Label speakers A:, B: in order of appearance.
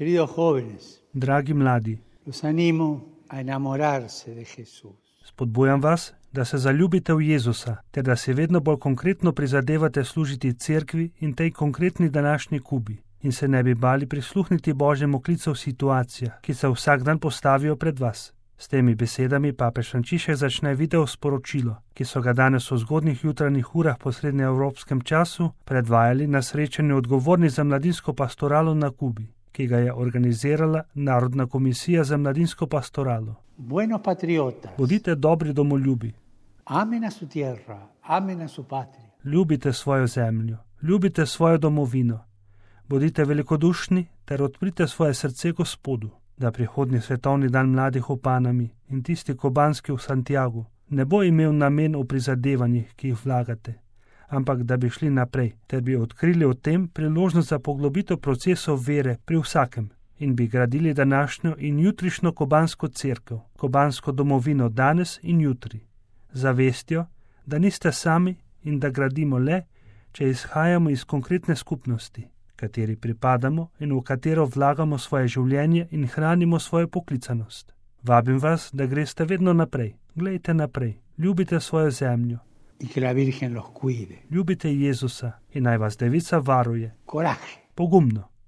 A: Queridos jóvenes,
B: Dragi mladi,
A: los animo a enamorarse de Jesús.
B: spodbujam vas, da se zaljubite v Jezusa, ter da se vedno bolj konkretno prizadevate služiti cerkvi in tej konkretni današnji Kubi in se ne bi bali prisluhniti Božjemu klicu v situacijah, ki se vsak dan postavijo pred vas. S temi besedami papež Frančišek začne video sporočilo, ki so ga danes v zgodnjih jutranjih urah po srednjeevropskem času predvajali na srečanju odgovornih za mladinsko pastoralo na Kubi, ki ga je organizirala Narodna komisija za mladinsko pastoralo.
A: Buenos patriotas,
B: Bodite dobri domoljubi,
A: amen a su tierra, amen a su patria.
B: ljubite svojo zemljo, ljubite svojo domovino, bodite velikodušni ter odprite svoje srce Gospodu, da prihodnji svetovni dan mladih v Panami in tisti kubanski v Santiagu ne bo imel namen v prizadevanjih, ki jih vlagate, ampak da bi šli naprej, ter bi odkrili v tem priložnost za poglobitev procesov vere pri vsakem in bi gradili današnjo in jutrišnjo kubansko cerkev, kubansko domovino danes in jutri, zavestjo, da niste sami in da gradimo le, če izhajamo iz konkretne skupnosti, kateri pripadamo in v katero vlagamo svoje življenje in hranimo svojo poklicanost. Vabim vas, da greste vedno naprej, glejte naprej, ljubite svojo zemljo,
A: Y que la Virgen los cuide.
B: ljubite Jezusa in naj vas Devica varuje.
A: Coraje.
B: Pogumno.